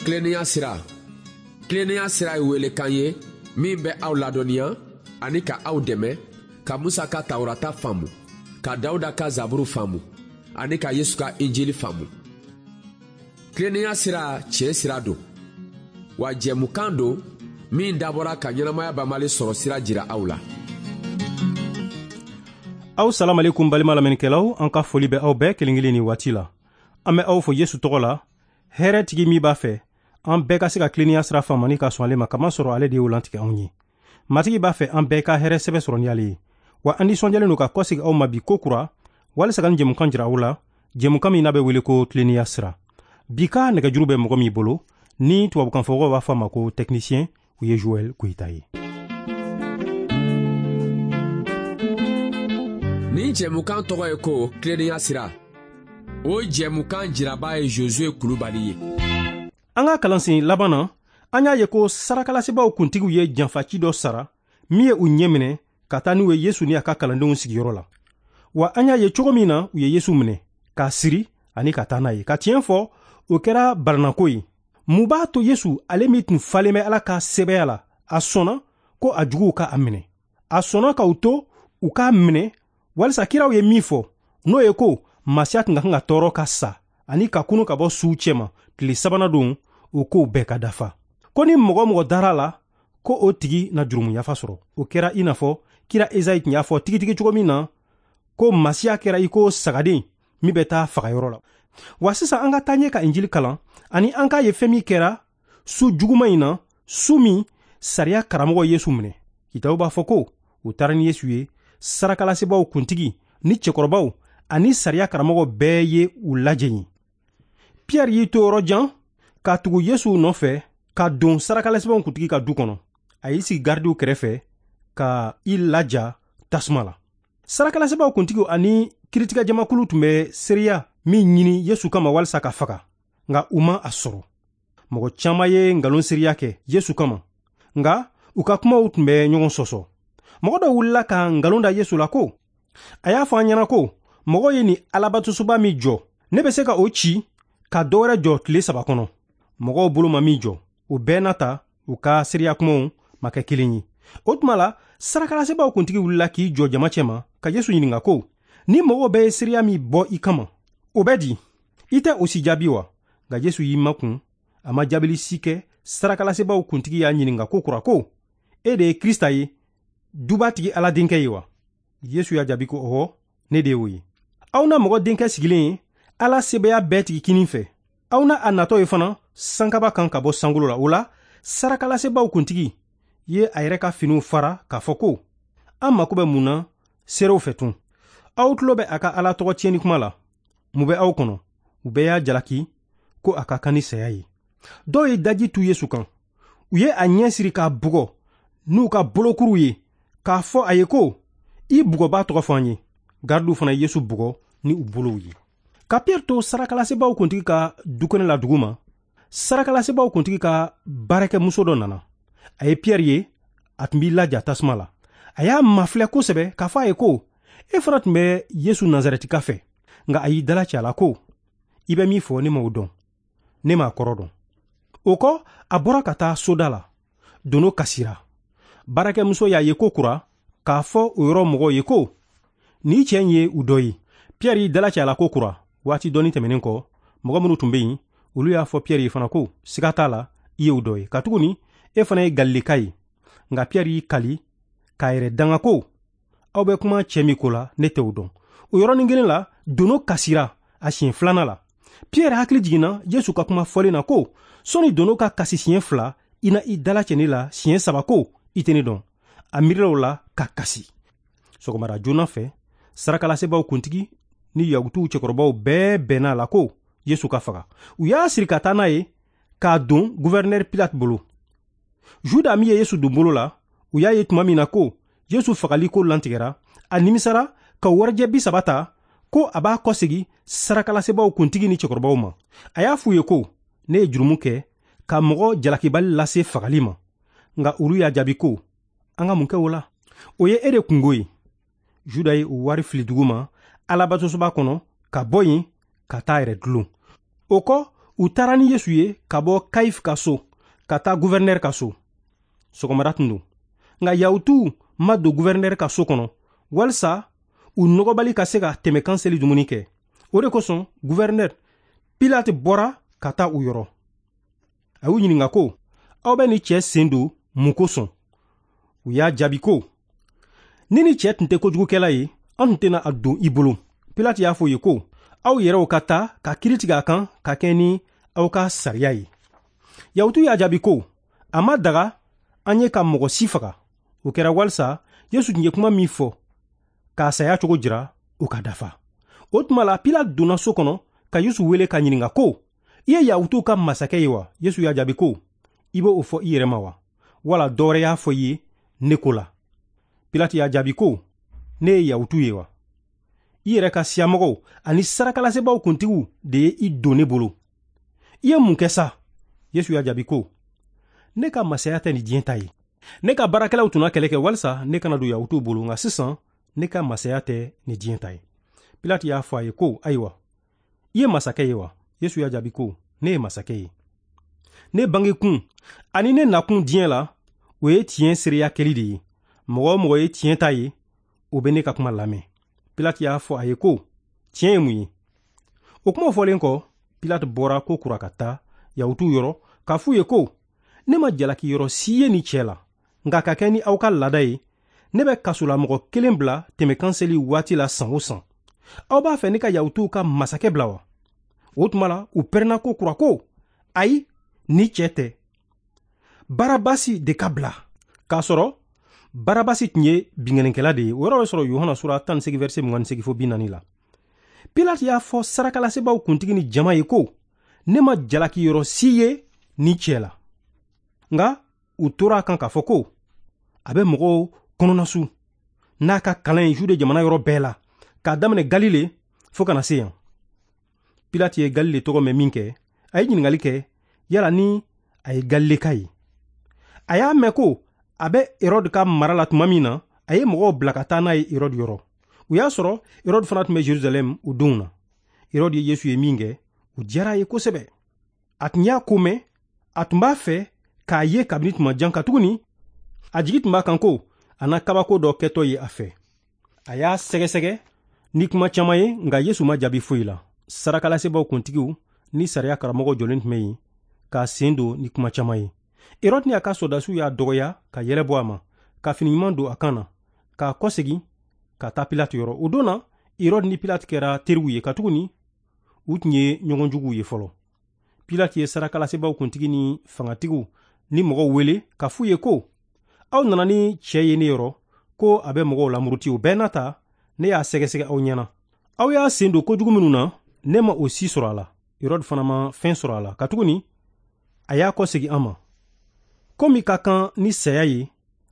Tilennenya sira. Tilennenya sira ye welekan ye min bɛ aw ladɔnniya ani ka aw dɛmɛ ka Musa ka Tawurata faamu, ka Dawuda ka Zaburu faamu ani ka Yesu ka Injili faamu. Tilennenya sira tiɲɛ sira don, wa jɛmukan don min dabɔra ka ɲɛnamaya banbali sɔrɔ sira jira aw la. Aw salamalekum balima lamɛnnikɛlaw, an ka foli bɛ aw bɛɛ kelen kelen ni waati la. An bɛ aw fo Yesu tɔgɔ la, hɛrɛ tigi min b'a fɛ an bɛɛ ka se ka tilennenya sira faamu ani ka sɔn ale ma, kamasɔrɔ ale de y'o lantigɛ anw ye. Matigi b'a fɛ an bɛɛ ka hɛrɛ sɛbɛ sɔrɔ ni ale ye. Wa an nisɔndiyalen don ka kɔsegin aw ma bi ko kura, walisa ka nin jɛmukan jira aw la, jɛmukan min n'a bɛ wele ko tilennenya sira. Bi ka nɛgɛjuru bɛ mɔgɔ min bolo, ni tubabukanfɔmɔgɔw b'a fɔ a ma ko technicien, o ye Joël Koyita ye. Nin jɛmukan tɔgɔ ye ko tilennenya sira. O jɛmukan jiraba ye Josue Kulubali ye. An ka kalansen laban na, an y'a ye ko sarakalasebaaw kuntigiw ye janfaci dɔ sara min ye u ɲɛ minɛ ka taa n'u ye Yesu ni a ka kalandenw sigiyɔrɔ la. Wa an y'a ye cogo min na u ye Yesu minɛ k'a siri ani ka taa n'a ye. Ka tiɲɛ fɔ, o kɛra baranako ye. Mun b'a to Yesu, ale min tun falen bɛ Ala ka sɛbɛya la, a sɔnna ko a juguw ka a minɛ? A sɔnna k'u to u k'a minɛ walisa kiraw ye min fɔ, n'o ye ko Masiya tun ka kan ka tɔɔrɔ ka sa ani ka kunu ka bɔ suw cɛma tile sabanan don, o kow bɛɛ ka dafa. Ko ni mɔgɔ mɔgɔ dara la, ko o tigi na jurumu yafa sɔrɔ. O kɛra i n'a fɔ kira Ezayi tun y'a fɔ tigitigi cogo min na, ko Masiya kɛra i ko sagaden min bɛ taa fagayɔrɔ la. Wa sisan an ka taa ɲɛ ka Injili kalan ani an k'a ye fɛn min kɛra su juguman in na, su min sariya karamɔgɔ Yesu minɛ. Kitabu b'a fɔ ko u taara ni Yesu ye, sarakalasebaaw kuntigi ni cɛkɔrɔbaw ani sariya karamɔgɔ bɛɛ ye u lajɛ yen. Pierre y'i to yɔrɔ jan ka tugu Yesu nɔfɛ ka don sarakalasebaaw kuntigi ka du kɔnɔ. A y'i sigi garidiw kɛrɛfɛ ka i laja tasuma la. Sarakalasebaaw kuntigiw ani kiritigɛjamakulu tun bɛ seereya min ɲini Yesu kama walisa ka faga, nka u ma a sɔrɔ. Mɔgɔ caman ye nkalon seereya kɛ Yesu kama, nka u ka kumaw tun bɛ ɲɔgɔn sɔsɔ. Mɔgɔ dɔ wulila ka nkalon da Yesu la ko a y'a fɔ an ɲɛna ko mɔgɔ ye nin alabatosoba min jɔ, ne bɛ se ka o ci ka dɔ wɛrɛ jɔ tile 3 kɔnɔ. Mɔgɔw bolo ma min jɔ, o bɛɛ n'a ta u ka seereya kumaw ma kɛ kelen ye. O tuma la, sarakalasebaaw kuntigi wulila k'i jɔ jama cɛma ka Yesu ɲininka ko, ni mɔgɔw bɛɛ ye seereya min bɔ i kama, o bɛ di? I tɛ o si jaabi wa? Nka Yesu y'i makun, a ma jaabili si kɛ. Sarakalasebaaw kuntigi y'a ɲininka ko kura ko, e de ye Krista ye, dubatigi Ala denkɛ ye wa? Yesu y'a jaabi ko, ɔwɔ, ne de y'o ye. Aw na mɔgɔ denkɛ sigilen ye Ala sebaya bɛɛ tigi kinin fɛ. Aw na a natɔ ye fana sankaba kan ka bɔ sankolo la. O la, sarakalasebaaw kuntigi ye a yɛrɛ ka finiw fara k'a fɔ ko, an mako bɛ mun na seerew fɛ tun? Aw tulo bɛ a ka Ala tɔgɔ tiɲɛni kuma la. Mun bɛ aw kɔnɔ? U bɛɛ y'a jalaki ko a ka kan ni saya ye. Dɔw ye daji tu Yesu kan. U ye a ɲɛ siri k'a bugɔ n'u ka bolokuruw ye k'a fɔ a ye ko, i bugɔbaa tɔgɔ fɔ an ye. Garidiw fana ye Yesu bugɔ ni u bolow ye. Ka Pierre to sarakalasebaaw kuntigi ka dukɛnɛ la dugu ma, sarakalasebaaw kuntigi ka baarakɛmuso dɔ nana. A ye Pierre ye, a tun b'i laja tasuma la. A y'a mafilɛ kosɛbɛ k'a fɔ a ye ko, e fana tun bɛ Yesu Nazarɛtika fɛ. Nka a y'i dalacɛ a la ko, i bɛ min fɔ ne m'o dɔn, ne m'a kɔrɔ dɔn. O kɔ, a bɔra ka taa soda la. Dono kasira. Baarakɛmuso y'a ye ko kura k'a fɔ o yɔrɔ mɔgɔw ye ko, nin cɛ in ye u dɔ ye. Pierre y'i dalacɛ a la ko kura. Waati dɔɔni tɛmɛnen kɔ, mɔgɔ minnu tun bɛ yen, olu y'a fɔ Pierre ye fana ko, siga t'a la, i ye u dɔ ye, katuguni e fana ye Galileka ye. Nka Pierre y'i kali k'a yɛrɛ danga ko, aw bɛ kuma cɛ min ko la, ne tɛ o dɔn. O yɔrɔnin kelen la, dono kasira a siɲɛ filanan la. Pierre hakili jiginna Yesu ka kuma fɔlen na ko, sɔnni dono ka kasi siɲɛ 2, i na i dalacɛ ne la siɲɛ 3 ko, i tɛ ne dɔn. A miirila o la ka kasi. Sɔgɔmada joona fɛ, sarakalasebaaw kuntigi ni Yahutuw cɛkɔrɔbaw bɛɛ bɛnna a la ko Yesu ka faga. U y'a siri ka taa n'a ye k'a don gouverneur Pilate bolo. Juda min ye Yesu don bolo la, u y'a ye tuma min na ko Yesu fagali ko lantigɛra, a nimisara ka warijɛ 30 ta ko a b'a kɔsegi sarakalasebaaw kuntigi ni cɛkɔrɔbaw ma. A y'a f'u ye ko, ne ye jurumu kɛ ka mɔgɔ jalakibali lase fagali ma. Nka olu y'a jaabi ko, an ka mun kɛ o la? O ye e de kungo ye. Juda ye o wari fili dugu ma alabatosoba kɔnɔ ka bɔ yen ka taa yɛrɛ dulon. O kɔ, U taara ni Yesu ye ka bɔ Kayifu ka so ka taa guvɛrinɛri ka so. Sɔgɔmada tun don. Nka Yahutuw ma don guvɛrinɛri ka so kɔnɔ walisa u nɔgɔbali ka se ka tɛmɛkan seli dumuni kɛ. O de kosɔn guvɛrinɛri Pilate bɔra ka taa u yɔrɔ. A y'u ɲininka ko, aw bɛ nin cɛ sen don mun kosɔn? U y'a jaabi ko, ni nin cɛ tun tɛ kojugukɛla ye, an tun tɛna a don i bolo. Pilate y'a fɔ u ye ko, aw yɛrɛw ka taa ka kiiri tigɛ a kan ka kɛ ni aw ka sariya ye. Yahutu y'a jaabi ko, a ma daga an ye ka mɔgɔ si faga. O kɛra walisa Yesu tun ye kuma min fɔ k'a saya cogo jira, o ka dafa. O tuma la Pilate donna so kɔnɔ ka Yesu wele ka ɲininka ko, i ye Yahutuw ka masakɛ ye wa? Yesu y'a jaabi ko, i b'o fɔ i yɛrɛ ma wa? Wala dɔ wɛrɛ y'a fɔ i ye ne ko la? Pilate y'a jaabi ko, ne ye Yahutu ye wa? I yɛrɛ ka siyamɔgɔw ani sarakalasebaaw kuntigiw de ye i don ne bolo. I ye mun kɛ sa? Yesu y'a jaabi ko, ne ka masaya tɛ nin diɲɛ ta ye. Ne ka baarakɛlaw tun na kɛlɛ kɛ walisa ne kana don Yahutuw bolo, nka sisan ne ka masaya tɛ nin diɲɛ ta ye. Pilate y'a fɔ a ye ko, ayiwa, i ye masakɛ ye wa? Yesu y'a jaabi ko, ne ye masakɛ ye. Ne bangekun ani ne nakun diɲɛ la, o ye tiɲɛ seereya kɛli de ye. Mɔgɔ o mɔgɔ ye tiɲɛ ta ye, o bɛ ne ka kuma lamɛn. Pilate y'a fɔ a ye ko, tiɲɛ ye mun ye? O kuma fɔlen kɔ, Pilate bɔra ko kura ka taa Yahutuw yɔrɔ k'a f'u ye ko, ne ma jalaki yɔrɔ si ye nin cɛ la, nka ka kɛ ni aw ka laada ye, ne bɛ kasolamɔgɔ kelen bila tɛmɛkan seli waati la san o san. Aw b'a fɛ ne ka Yahutuw ka masakɛ bila wa? O tuma la, u pɛrɛnna ko kura ko, ayi, ni cɛ tɛ. Barabasi de ka bila. K'a sɔrɔ Barabasi tun ye binkannikɛla de ye. O yɔrɔ bɛ sɔrɔ Yohana sura 18 verset 28 fo 40 la. Pilate y'a fɔ sarakalasebaaw kuntigi ni jama ye ko, ne ma jalaki yɔrɔ si ye ni cɛ la. Nka u tora a kan k'a fɔ ko, a bɛ mɔgɔw kɔnɔnasu n'a ka kalan ye Jude jamana yɔrɔ bɛɛ la, k'a daminɛ Galile fo ka na se yan. Pilate ye Galile tɔgɔ mɛn min kɛ, a ye ɲininkali kɛ yala ni a ye Galileka ye. A y'a mɛn ko a bɛ Herode ka mara la tuma min na, a ye mɔgɔw bila ka taa n'a ye Herode yɔrɔ. U y'a sɔrɔ Herode fana tun bɛ Jerusalɛm o donw na. Herode ye Yesu ye min kɛ, o diyara a ye kosɛbɛ. A tun y'a ko mɛn, a tun b'a fɛ k'a ye kabini tuma jan, katuguni a jigi tun b'a kan ko a na kabako dɔ kɛtɔ ye a fɛ. A y'a sɛgɛsɛgɛ ni kuma caman ye, nka Yesu ma jaabi foyi la. Sarakalasebaaw kuntigiw ni sariya karamɔgɔw jɔlen tun bɛ yen k'a sen don ni kuma caman ye. Herode ni a ka sɔrɔdasiw y'a dɔgɔya ka yɛlɛ bɔ a ma, ka fini ɲuman don a kan na, k'a kɔsegin ka taa Pilate yɔrɔ. O don na, Herode ni Pilate kɛra teriw ye, katuguni u tun ye ɲɔgɔn juguw ye fɔlɔ. Pilate ye sarakalasebaaw kuntigi ni fangatigiw ni mɔgɔw wele k'a f'u ye ko, aw nana ni cɛ ye ne yɔrɔ ko a bɛ mɔgɔw lamuruti. O bɛɛ n'a ta, ne y'a sɛgɛsɛgɛ aw ɲɛna. Aw y'a sen don kojugu minnu na, ne ma o si sɔrɔ a la. Herode fana ma fɛn sɔrɔ a la, katuguni a y'a kɔsegin an ma. Komi ka kan ni saya ye,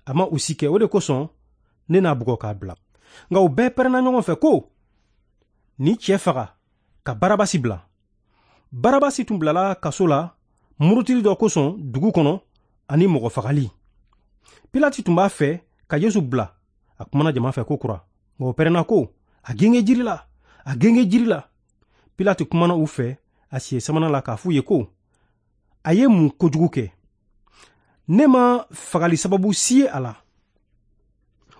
a ma o si kɛ. O de kosɔn ne n'a bugɔ k'a bila. Nka u bɛɛ pɛrɛnna ɲɔgɔn fɛ ko, ni cɛ faga ka Barabasi bila. Barabasi tun bilala kaso la murutili dɔ kosɔn dugu kɔnɔ ani mɔgɔ fagali. Pilate tun b'a fɛ ka Yesu bila. A kumana jama fɛ ko kura, nka o pɛrɛnna ko, a genge jiri la, a genge jiri la. Pilate kumana u fɛ a siɲɛ sabanan la k'a f'u ye ko, a ye mun kojugu kɛ? Ne ma fagali sababu si ye a la.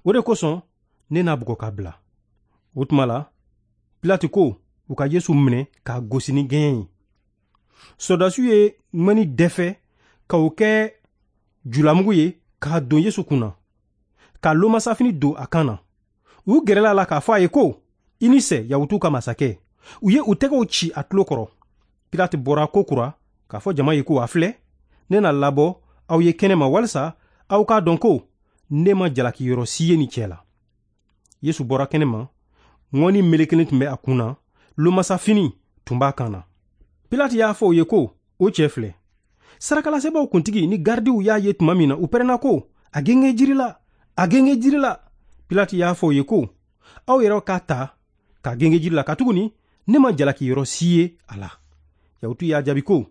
O de kosɔn ne n'a bugɔ k'a bila. O tuma la, Pilate ko u ka Yesu minɛ k'a gosi ni gɛɲɛ ye. Sɔrɔdasiw ye ŋɔni dɛfɛ ka o kɛ julamugu ye k'a don Yesu kun na, ka lomasafini don a kan na. U gɛrɛla a la k'a fɔ a ye ko, i ni sɛ, Yahutuw ka masakɛ. U ye u tɛgɛw ci a tulo kɔrɔ. Pilate bɔra ko kura k'a fɔ jama ye ko, a filɛ, ne na labɔ aw ye kɛnɛ ma walisa aw k'a dɔn ko ne ma jalaki yɔrɔ si ye nin cɛ la. Yesu bɔra kɛnɛ ma, ŋɔni melekelen tun bɛ a kun na, lomasafini tun b'a kan na. Pilate y'a fɔ u ye ko, o cɛ filɛ. Sarakalasebaaw kuntigi ni garidiw y'a ye tuma min na, u pɛrɛnna ko, a genge jiri la, a genge jiri la. Pilate y'a fɔ u ye ko, aw yɛrɛw k'a ta k'a genge jiri la, katuguni ne ma jalaki yɔrɔ si ye a la. Yahutu y'a jaabi ko,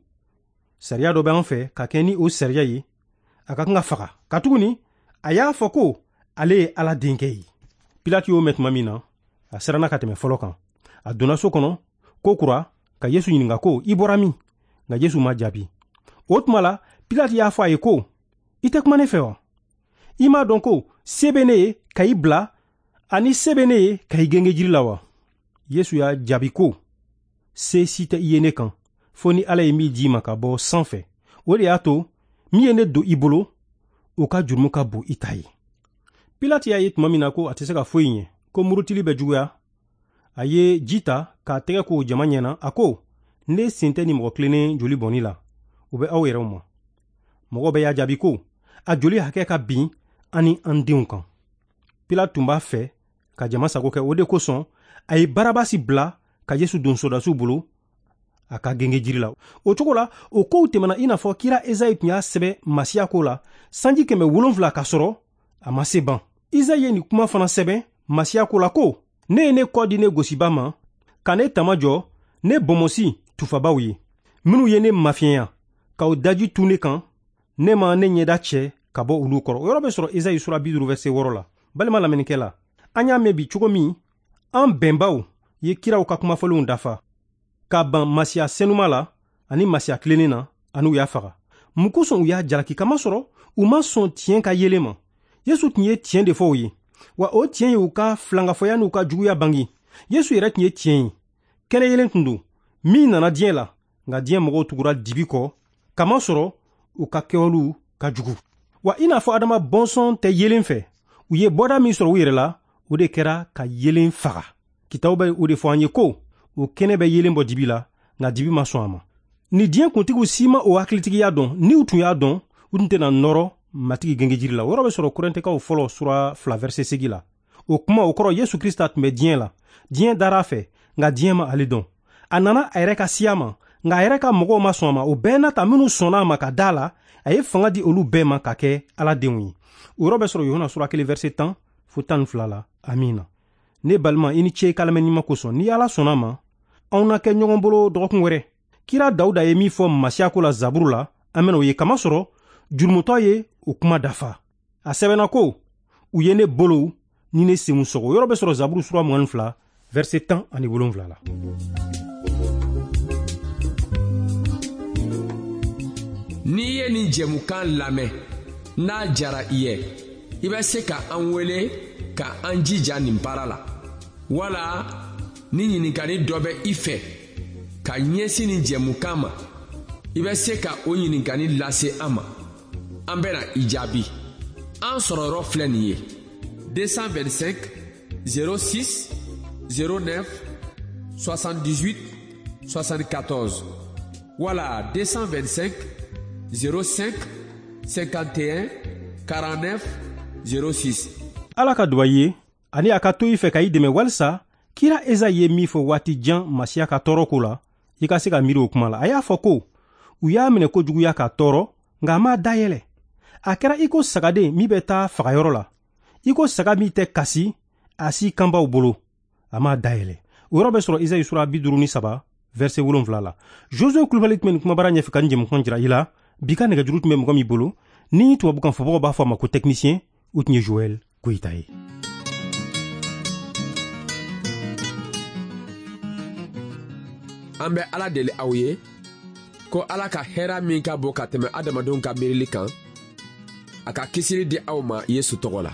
sariya dɔ bɛ an fɛ ka kɛ ni o sariya ye, a ka kan ka faga, katuguni a y'a fɔ ko ale ye Ala denkɛ ye. Pilate y'o mɛn tuma min na, a siranna ka tɛmɛ fɔlɔ kan. A donna so kɔnɔ ko kura ka Yesu ɲininka ko, i bɔra min? Nka Yesu ma jaabi. O tuma la, Pilate y'a fɔ a ye ko, i tɛ kuma ne fɛ wa? I m'a dɔn ko se bɛ ne ye ka i bila ani se bɛ ne ye ka i genge jiri la wa? Yesu y'a jaabi ko, se si tɛ i ye ne kan, fo ni Ala ye min di i ma ka bɔ sanfɛ. O de y'a to min ye ne don i bolo, o ka jurumu ka bon i ta ye. Pilate y'a ye tuma min na ko a tɛ se ka foyi ɲɛ, ko murutili bɛ juguya, a ye ji ta k'a tɛgɛ ko jama ɲɛna, a ko, ne sen tɛ nin mɔgɔ tilennen joli bɔnni la, o bɛ aw yɛrɛw ma. Mɔgɔw bɛɛ y'a jaabi ko, a joli hakɛ ka bin an ni an denw kan. Pilate tun b'a fɛ ka jama sago kɛ, o de kosɔn a ye Barabasi bila ka Yesu don sɔrɔdasiw bolo a ka genge jiri la. O cogo la, o kow tɛmɛna i n'a fɔ kira Ezayi tun y'a sɛbɛn Masiya ko la sanji 700 k'a sɔrɔ a ma se ban. Izayi ye nin kuma fana sɛbɛn Masiya ko la ko, ne ye ne kɔ di ne gosiba ma, ka ne tama jɔ ne bɔnbɔnsi tufabaw ye, minnu ye ne mafiɲɛya k'aw daji tu ne kan, ne ma ne ɲɛda cɛ ka bɔ olu kɔrɔ. O yɔrɔ bɛ sɔrɔ Ezayi sura 50 verset 6 la. Balima lamɛnnikɛla, an y'a mɛn bi cogo min, an bɛnbaw ye kiraw ka kumafɔlenw dafa ka ban Masiya senuma la ani Masiya tilennen na, ani u y'a faga. Mun kosɔn u y'a jalaki? Kamasɔrɔ u ma sɔn tiɲɛ ka yelen ma. Yesu tun ye tiɲɛ de fɔ u ye, wa o tiɲɛ ye u ka filankafɔya n'u ka juguya bange. Yesu yɛrɛ tun ye tiɲɛ ye, kɛnɛ yelen tun don min nana diɲɛ la, nka diɲɛ mɔgɔw tugura dibi kɔ, kamasɔrɔ u ka kɛwalew ka jugu. Wa i n'a fɔ Adama bɔnsɔn tɛ yelen fɛ, u ye bɔda min sɔrɔ u yɛrɛ la, o de kɛra ka yelen faga. Kitabu bɛ o de fɔ an ye ko, o kɛnɛ bɛ yelen bɔ dibi la, nka dibi ma sɔn a ma. Ni diɲɛ kuntigiw si ma o hakilitigiya dɔn, n'u tun y'a dɔn, u tun tɛna nɔrɔ Matigi gengejiri la. O yɔrɔ bɛ sɔrɔ Korintɛkaw fɔlɔ sura 2 verset 8 la. O kuma o kɔrɔ, Yesu Krista tun bɛ diɲɛ la. Diɲɛ dara a fɛ, nka diɲɛ ma ale dɔn. A nana a yɛrɛ ka siya ma, nka a yɛrɛ ka mɔgɔw ma sɔn a ma. O bɛɛ n'a ta, minnu sɔnna a ma ka da la, a ye fanga di olu bɛɛ ma ka kɛ Ala denw ye. O yɔrɔ bɛ sɔrɔ Yohana sura 1 verset 10 fo 12 la. Amiina. Ne balima, i ni ce i ka lamɛnni ɲuman kosɔn. Ni Ala sɔnna a ma, anw na kɛ ɲɔgɔn bolo dɔgɔkun wɛrɛ. Kira Dawuda ye min fɔ Masiya ko la Zaburu la, an bɛna o ye, kamasɔrɔ jurumutɔ ye o kuma dafa. A sɛbɛnna ko, u ye ne bolow ni ne senw sɔgɔ. O yɔrɔ bɛ sɔrɔ Zaburu sura 22 verset 17 la. N'i ye nin jɛmukan lamɛn, n'a jara i ye, i bɛ se ka an wele ka an jija nin baara la. Wala ni ɲininkali dɔ bɛ i fɛ ka ɲɛsin nin jɛmukan ma, i bɛ se ka o ɲininkali lase an ma. An bɛna i jaabi. An sɔrɔyɔrɔ filɛ nin ye: 225 06 09 78 74 wala 225 05 51 49 06. Ala ka duba i ye ani a ka to i fɛ ka i dɛmɛ walisa kira Ezayi ye min fɔ waati jan Masiya ka tɔɔrɔ ko la, i ka se ka miiri o kuma la. A y'a fɔ ko, u y'a minɛ kojuguya k'a tɔɔrɔ, nka a m'a dayɛlɛ. A kɛra i ko sagaden min bɛ taa fagayɔrɔ la, i ko saga min tɛ kasi a si kanbaw bolo, a m'a dayɛlɛ. O yɔrɔ bɛ sɔrɔ Ezayi sura 53 verset 7 la. Josue Kulubali tun bɛ nin kumabara ɲɛfɛ ka nin jɛmukan jira i la. Bi ka nɛgɛjuru tun bɛ mɔgɔ min bolo, ni tubabukan fɔbagaw b'a fɔ a ma ko technicien, o tun ye Joël Goyita ye. An bɛ Ala deli aw ye ko Ala ka hɛrɛ min ka bon ka tɛmɛ adamadenw ka miirili kan, a ka kisili di aw ma Yesu tɔgɔ la.